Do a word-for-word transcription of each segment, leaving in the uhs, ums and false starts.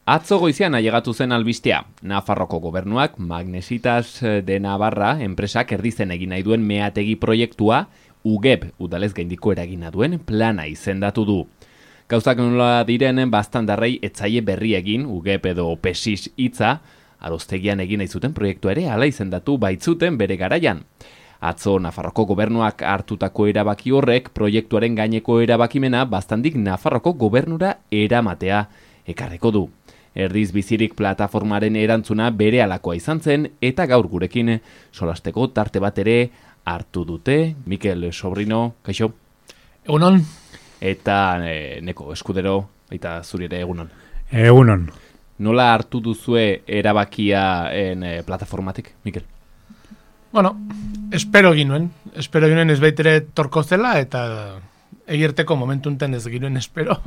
Atzo goizean ailegatu zen albistea. Nafarroko gobernuak Magnesitas de Navarra enpresak erdizen egin nahi duen meategi proiektua U G E P udalez gaindiko eragina duen plana izendatu du. Gauzak nola diren bastandarrei etzaie berri egin U G E P edo PESIS hitza, Aroztegian egin nahi zuten proiektua ere hala izendatu baitzuten bere garaian. Atzo Nafarroko gobernuak hartutako erabaki horrek proiektuaren gaineko erabakimena bastandik Nafarroko gobernura eramatea ekarreko du. Erdiz bizirik plataformaren erantzuna bere alakoa izan zen eta gaur gurekin solasteko tarte bat ere hartu dute. Mikel Sobrino, kaixo? Egunon. Eta e, Neko Eskudero, eta zuri ere egunon. Egunon. Nola hartu duzue erabakia en e, plataformatik, Mikel? Bueno, espero ginuen. Espero ginuen ez baitere torko zela eta egirteko momentunten ez ginuen espero.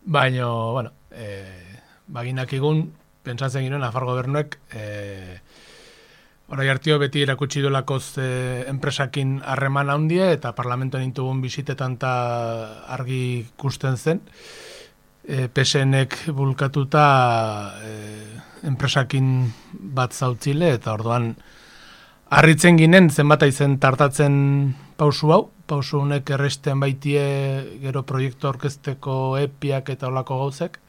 Baina, bueno, eh, baginak egun, pentsatzen ginen, Nafar gobernuek, e, orai hartio beti erakutsi duelakoz e, enpresakin harreman handia, eta parlamentoan intugun bisitetan ta argi ikusten zen, e, P S N-ek bulkatuta e, enpresakin bat zautzile, eta orduan harritzen ginen, zenbata izen tartatzen pausu hau, pausu honek erresten baitie gero proiektu orkesteko epiak eta olako gauzek.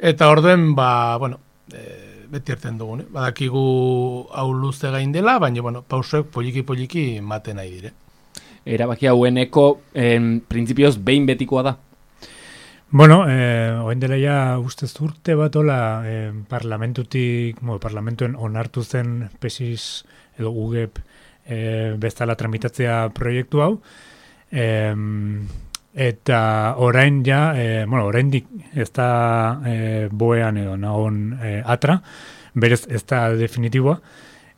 Eta orduen, ba, bueno, e, beti erten dugun, eh? Badakigu hau luze gain dela, baina, bueno, pausuek poliki-poliki maten nahi dire. Erabaki haueneko, en, printzipioz, behin betikoa da? Bueno, eh, oen dela ja ustez urte bat ola eh, parlamentutik, mo, parlamentuen onartu zen PESIS edo U G E P eh, bezala tramitatzea proiektu hau, eh, eta orain ja, e, bueno, oraindik ez da e, boean edo nagon e, atra, berez ez da definitiboa,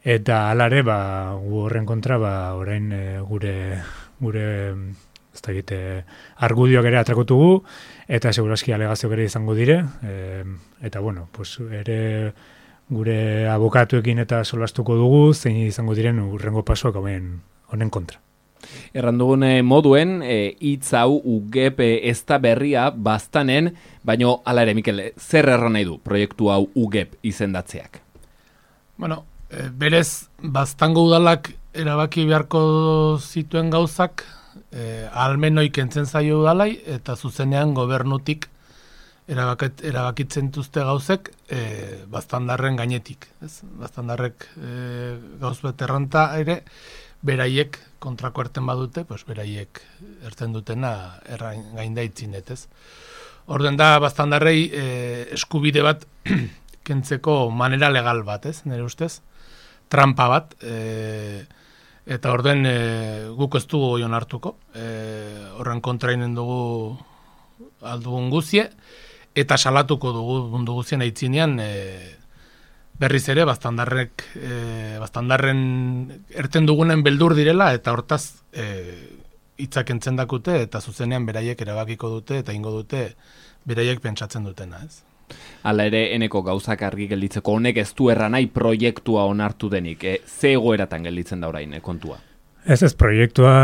eta alare, ba, gu horren kontra, ba, orain e, gure, gure ez da egite, argudioak ere atrakotugu, eta seguraski alegazioak ere izango dire, e, eta bueno, pues, ere gure abokatuekin eta solastuko dugu, zein izango diren urrengo pasoak honen, honen kontra. Errandugun moduen, hitz hau U G E P ez da berria bastanen, baino hala ere, Mikel, zer erran nahi du proiektu hau U G E P izendatzeak? Bueno, e, berez, bastango udalak erabaki beharko zituen gauzak, e, almenoi kentzen zaio udalai, eta zuzenean gobernutik erabakit, erabakitzen duzte gauzek, e, bastandarren gainetik. Ez? Bastandarrek e, gauz bet erranta ere, beraiek kontrako erten badute, pues beraiek erten dutena errain gainda itzinet, ez. Orden da, bastandarrei e, eskubide bat kentzeko manera legal bat, ez, nire ustez, trampa bat, e, eta orden e, guk ez dugu oion hartuko, e, horren kontrainen dugu aldugun guzie, eta salatuko dugu mundu guzien aitzinean, e, berriz ere, bastandarrek, e, bastandarren erten dugunen beldur direla, eta hortaz e, hitzak entzen dakute, eta zuzenean beraiek erabakiko dute, eta ingo dute beraiek pentsatzen dutena, ez? Hala ere, eneko gauzak argi gelditzeko honek ez du erranai proiektua onartu denik, e, ze egoeratan gelditzen da orain, e, kontua? Ez ez, proiektua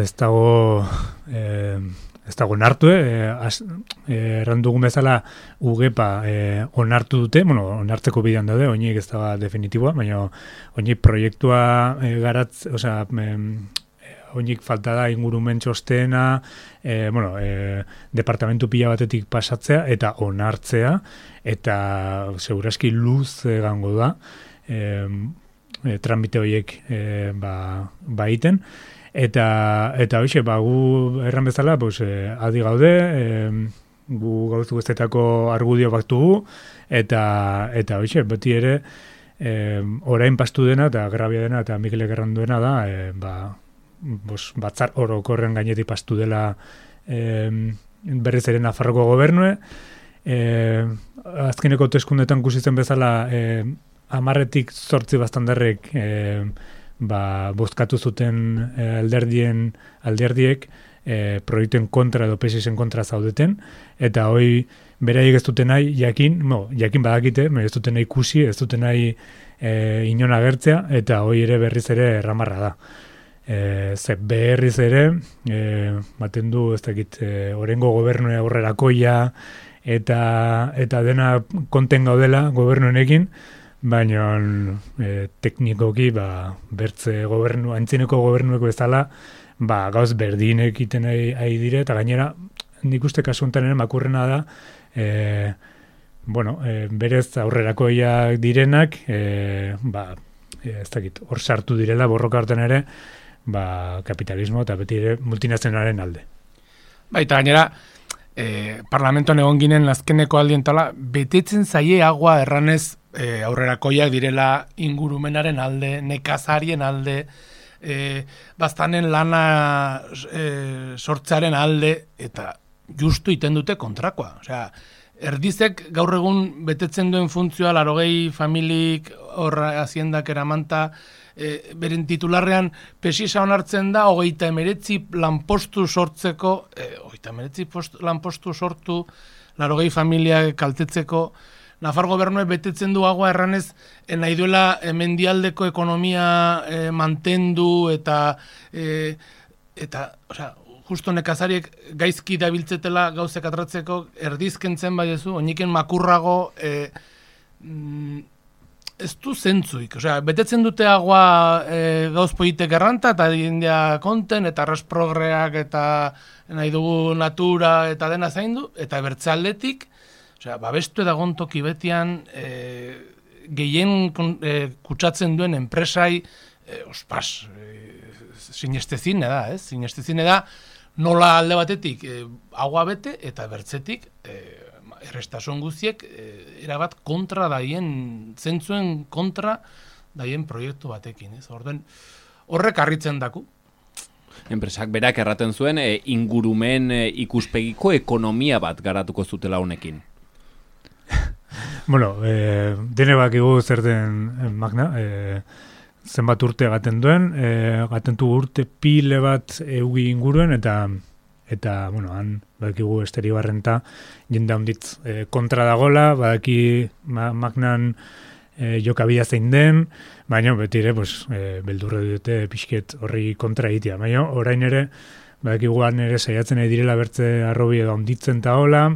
ez dago... E, Ez dago onartu, eh, eh, errandugun bezala U G E P a eh, onartu dute, bueno, onartzeko bidean daude, oinik ez da definitiboa, baina oinik proiektua eh, garatz, osea, eh, oinik falta da ingurumen txostena, eh, bueno, eh, departamentu pila batetik pasatzea eta onartzea, eta seguraski luz egango da, eh, eh, tramite horiek eh, ba, ba iten. Eta, eta hoxe, ba, gu erran bezala, pues, eh, adi gaude, eh, gu gauzu guztetako argudio baktugu, eta, eta hoxe, beti ere, eh, orain pastu dena, eta grabia dena, eta Mikelek erran duena da, eh, ba, bos, batzar orokorren gainetik pastu dela eh, berriz ere Nafarroko gobernue, eh, azkeneko teskundetan kusitzen bezala, eh, amarretik zortzi bastandarrek, eh, ba, bozkatu zuten eh, alderdien alderdiek eh, proiektuen kontra edo PESISen kontra zaudeten, eta hoi beraiek ez duten nahi jakin, no, jakin badakite, ez duten nahi ikusi, ez duten nahi eh, inon agertzea, eta hoi ere berriz ere erramarra da. E, ze berriz ere, e, baten du, ez dakit, e, orengo gobernua aurrerakoia, eta, eta dena konten gaudela gobernu honekin, baina e, teknikoki ba, bertze gobernu, antzineko gobernueko bezala, ba, gauz berdinek egiten ari dire, eta gainera, nik uste kasu honetan ere makurrena da, e, bueno, e, berez aurrerakoiak direnak, e, ba, e, ez dakit, hor sartu direla borroka hartan ere, ba, kapitalismo eta beti ere multinazionalen alde. Baita gainera, e, parlamentoan egon ginen azkeneko aldientala, betetzen zaie agua erranez e, aurrerakoiak direla ingurumenaren alde, nekazarien alde, e, baztanen lana e, sortzearen alde, eta justu iten dute kontrakoa. Osea, erdizek gaur egun betetzen duen funtzioa larogei familik horra haziendak eramanta, e, beren titularrean pesisa onartzen da, hogeita emeretzi lanpostu sortzeko, e, hogeita emeretzi post, lanpostu sortu, larogei familia kaltetzeko, Nafar gobernuek betetzen du agua erranez, e, nahi duela e, mendialdeko ekonomia e, mantendu eta, e, eta osea, justo nekazariek gaizki dabiltzetela gauzek atratzeko erdizkentzen baiezu, oiniken makurrago e, mm, ez du zentzuik. Osea, betetzen dute agua e, gauz politek erranta eta dindia konten eta resprogreak eta nahi dugu natura eta dena zaindu, eta bertze aldetik, osea, babestu edagon toki betian e, gehien e, kutsatzen duen enpresai, e, ospas, e, sinestezine da, ez? Sinestezine da, nola alde batetik e, agua bete eta bertzetik e, errestasun guztiek e, erabat kontra daien, zentzuen kontra daien proiektu batekin. Ez? Orden, horrek harritzen daku. Enpresak berak erraten zuen e, ingurumen e, ikuspegiko ekonomia bat garatuko zutela honekin. Bueno, e, dene bakigu zer den Magna, e, zenbat urte gaten duen, e, gaten du urte pile bat eugi inguruen, eta eta, bueno, han bakigu Esteribarrenta jende handitz e, kontra dagola, badaki ma, Magnan e, jokabia zein den, baina beti ere, pues, e, beldurre dute pixket horri kontra egitea. Baina orain ere, bakigu han ere saiatzen nahi direla bertze arrobi edo handitzen eta hola,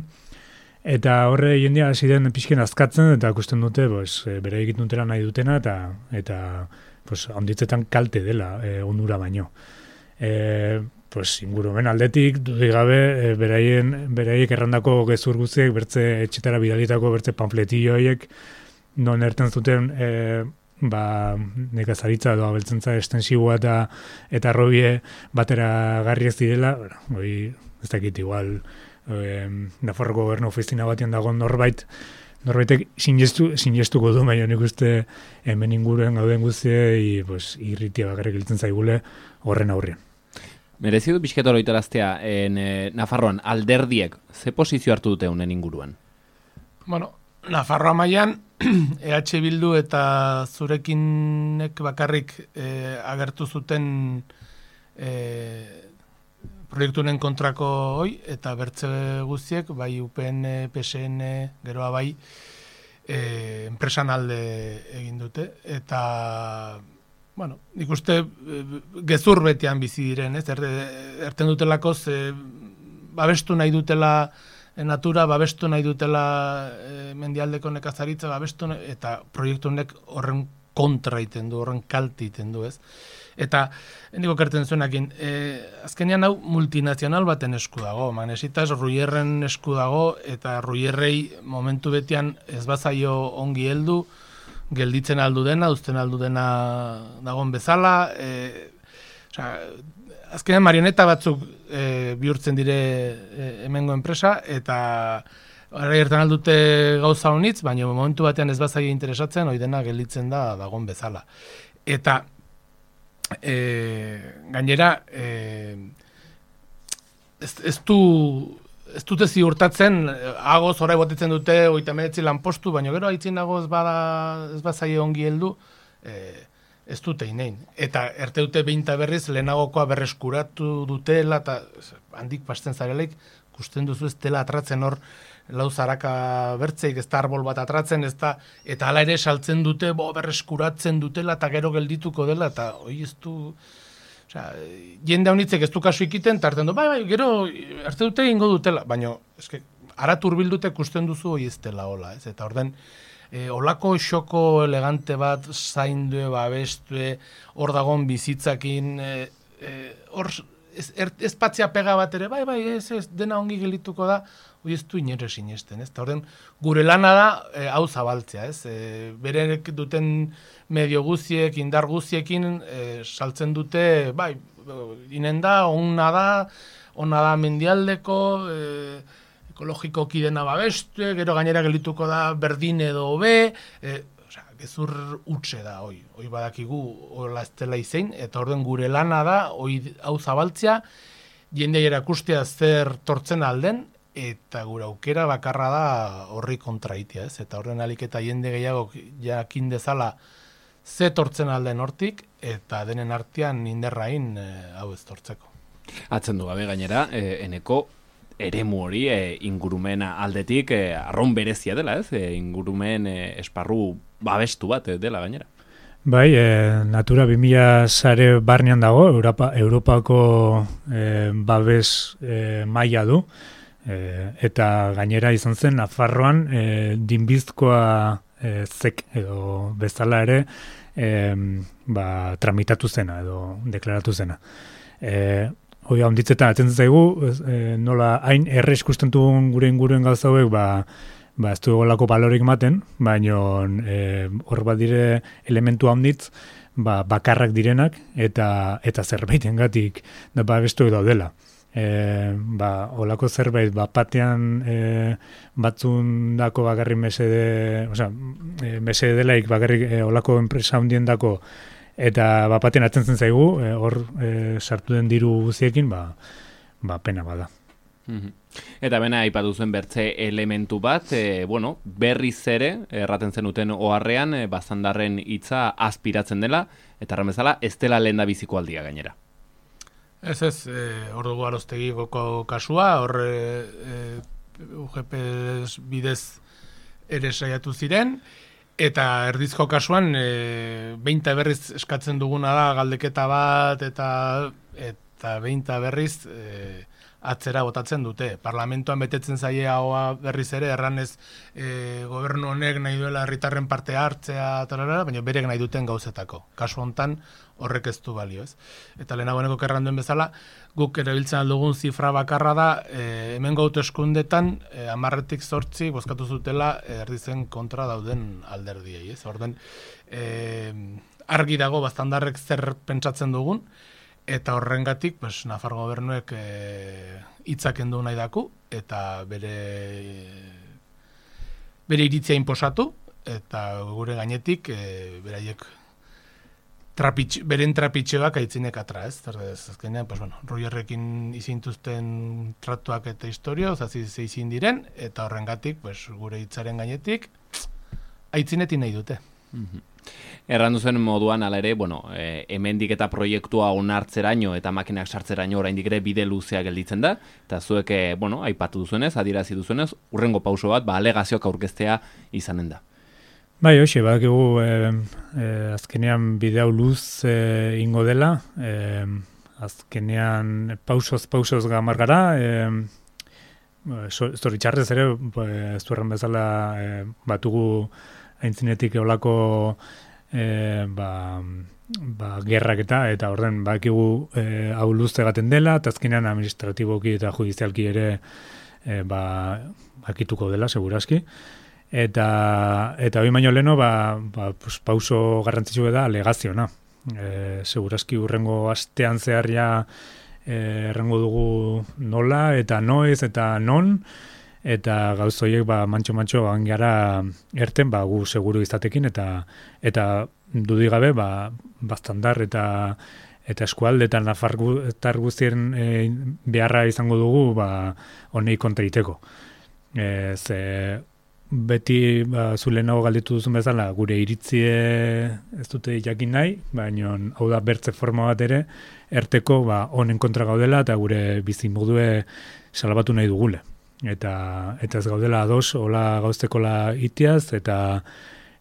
eta horre jendea hasi den pixken azkatzen, eta ikusten dute, pues, e, bere egiten dutela nahi dutena, eta eta pues, handitzetan kalte dela e, onura baino. E, pues, ingurumen aldetik, dudik gabe, e, beraien, beraiek errandako gezur guztiek, bertze etxetara bidalitako bertze panfletillo horiek, non erten zuten e, ba, nekazaritza edo abeltzentza estensiboa eta eta arrobie batera garri ez direla, bueno, hori ez dakit igual, e, Nafarroko gobernu oficina batean dago norbait, norbaitek sinestu, sinestuko du, baina nik uste hemen inguruen gauden guztiei pues, irritia bakarrik iltzen zaigule horren aurrean. Merezi du pixketo loitaraztea, en, e, Nafarroan alderdiek ze posizio hartu dute honen inguruan? Bueno, Nafarroa mailan E H Bildu eta zurekinek bakarrik e, agertu zuten e, proiektunen kontrako hoi, eta bertze guztiek, bai U P N, P S N, geroa bai, e, enpresan alde egin dute, eta, bueno, nik uste e, gezur betian bizi diren, ez, er, erten dutelakoz, e, babestu nahi dutela e, natura, babestu nahi dutela e, mendialdeko nekazaritza, babestu nahi, eta proiektu honek horren kontra iten du, horren kalti iten du, ez. Eta, niko kerten zuenakin, e, azkenean hau multinazional baten esku dago, Magnesitas Ruierren esku dago, eta Ruierrei momentu betian ez bazaio ongi heldu, gelditzen aldu dena, uzten aldu dena dagon bezala, e, osea, azkenean marioneta batzuk e, bihurtzen dire e, hemengo enpresa, eta ara gertan aldute gauza honitz, baina momentu batean ez bazaio interesatzen, hori dena gelditzen da dagon bezala. Eta E, gainera e, ez, ez du ez dute ziurtatzen agoz orai botetzen dute hogeita hemeretzi lanpostu, baina gero aitzin agoz bada ez bazaie ongi heldu e, ez dute inein. Eta erte dute behinta berriz lehenagokoa berreskuratu dutela eta handik pasten zarelaik ikusten duzu ez dela atratzen hor lau zaraka bertzeik, ez da arbol bat atratzen, ez da, eta hala ere saltzen dute, bo, berreskuratzen dutela, eta gero geldituko dela, eta hoi ez du, osea, jende haunitzek ez du kasu ikiten, eta hartzen du, bai, bai, gero, arte dute ingo dutela, baina, eske, arat urbildute ikusten duzu hori ez dela hola, ez? Eta orden, e, olako xoko elegante bat zaindue, babestue, hor dagon bizitzakin, e, e, hor ez, er, ez patzia pega bat ere, bai, bai, ez, ez, dena ongi gelituko da, hori ez du inere sinesten, ez? Eta orden, gure lana da, e, hau zabaltzea, ez? E, berek duten medio guziek, indar guziekin, e, saltzen dute, bai, inen da, onna da, onna da mendialdeko, e, ekologikoki dena babestu, gero gainera gelituko da berdin edo hobe, e, osea, gezur utxe da, hoi, hoi badakigu, hola ez dela izein, eta orden gure lana da, hoi hau zabaltzea, jendea erakustea zer tortzen alden, eta gure aukera bakarra da horri kontraitia, ez? Eta horren alik eta jende gehiago jakin dezala ze tortzen alden hortik, eta denen artean inderrain e, hau ez tortzeko. Atzen du gabe gainera, e, eneko eremu hori e, ingurumena aldetik e, arron berezia dela, ez? E, ingurumen e, esparru babestu bat e, dela gainera. Bai, e, Natura bi mila sare barnean dago, Europa, Europako e, babes e, maila du, e, eta gainera izan zen, Nafarroan e, dinbizkoa e, zek edo bezala ere e, ba, tramitatu zena edo deklaratu zena. E, Hoi handitzetan atentzen zaigu, e, nola hain erre ikusten dugun gure inguruen gauza hauek, ba, ba ez du egolako balorik maten, baina e, hor bat dire elementu handitz, ba, bakarrak direnak, eta eta zerbaitengatik da ba bestu daudela. E, ba, olako zerbait, ba, batean e, batzundako bakarrik mesede, osea, e, mesede delaik bakarrik e, olako enpresa handien dako, eta bapaten atentzen zaigu, e, hor e, sartu den diru guziekin, ba, ba pena bada. Mm-hmm. Eta bena aipatu zuen bertze elementu bat, e, bueno, berriz ere, erraten zenuten oharrean, e, bazandarren hitza aspiratzen dela, eta erran bezala, ez dela lehen da biziko aldia gainera. Ez ez, e, hor dugu Aroztegiko kasua, hor e, e, U G P bidez ere saiatu ziren, eta erdizko kasuan, e, beinta berriz eskatzen duguna da galdeketa bat, eta eta beinta berriz e, atzera botatzen dute. Parlamentuan betetzen zaie haua berriz ere, erranez e, gobernu honek nahi duela herritarren parte hartzea, tarara, baina berek nahi duten gauzetako. Kasu hontan horrek ez du balio, ez? Eta lehenagoeneko kerranduen bezala, guk erabiltzen aldugun zifra bakarra da, e, hemen gautu eskundetan, e, amarretik zortzi, bozkatu zutela, e, erdizen kontra dauden alderdiei, ez? Orden, e, argi dago baztandarrek zer pentsatzen dugun, eta horrengatik, pues, Nafar gobernuek hitzak e, endu nahi daku, eta bere bere iritzia inposatu, eta gure gainetik, e, beraiek trapitx, beren trapitxeak aitzinek atra, ez? Azkenean, pues, bueno, Rogerrekin izintuzten tratuak eta historia, ozazi zeizin diren, eta horrengatik, pues, gure hitzaren gainetik, aitzinetin nahi dute. Mm-hmm. Errandu zen moduan, ala ere, bueno, e, hemendik eta proiektua onartzeraino eta makinak sartzeraino oraindik ere bide luzea gelditzen da, eta zuek, e, bueno, aipatu duzuenez, adierazi duzuenez, urrengo pauso bat, ba, alegazioak aurkeztea izanen da. Bai, hoxe, badakigu e, e, azkenean bide hau luz e, ingo dela, e, azkenean pausoz, pausoz gamar gara, e, zoritxarrez ere, ez du erran bezala e, batugu aintzinetik eolako e, ba, ba, gerrak eta, eta orden bakigu e, hau luzte gaten dela, eta azkenean administratiboki eta judizialki ere e, ba, bakituko dela, segurazki. Eta, eta hori baino leheno, ba, ba, pues, pauso garrantzitsu da alegaziona. E, segurazki urrengo astean zeharria e, errengo dugu nola, eta noiz, eta non, eta gauz horiek ba mantxo-mantxo angara erten ba gu seguru izatekin eta eta dudik gabe ba baztandar eta eta eskualde eta nafartar guztien e, beharra izango dugu ba honei kontra egiteko. E, ze beti ba zulenago galditu duzun bezala gure iritzie ez dute jakin nahi, baina hau da bertze forma bat ere erteko ba honen kontra gaudela eta gure bizimodue salbatu nahi dugule. Eta eta ez gaudela ados hola gauztekola itiaz eta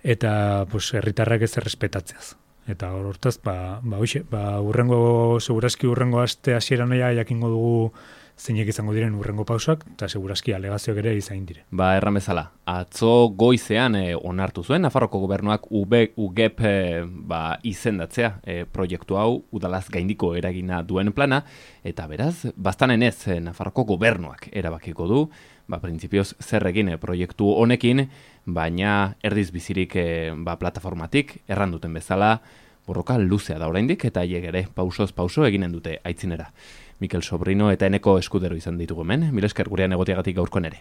eta pues herritarrak ez errespetatzeaz. Eta hortaz ba ba hoxe, ba urrengo segurazki urrengo aste hasieran ja jakingo dugu zeinek izango diren urrengo pausoak, eta segurazki alegazioak ere izain dire. Ba, erran bezala, atzo goizean e, onartu zuen, Nafarroko gobernuak U G E P e, ba, izendatzea e, proiektu hau udalaz gaindiko eragina duen plana, eta beraz, bastanen ez e, Nafarroko gobernuak erabakiko du, ba, printzipioz zer egin e, proiektu honekin, baina erdiz bizirik e, ba, plataformatik, erran duten bezala, borroka luzea da oraindik eta haiek ere pausoz pauso eginen dute aitzinera. Mikel Sobrino eta Eneko Eskudero izan ditugu hemen, mil esker gurean egoteagatik gaurkoan ere.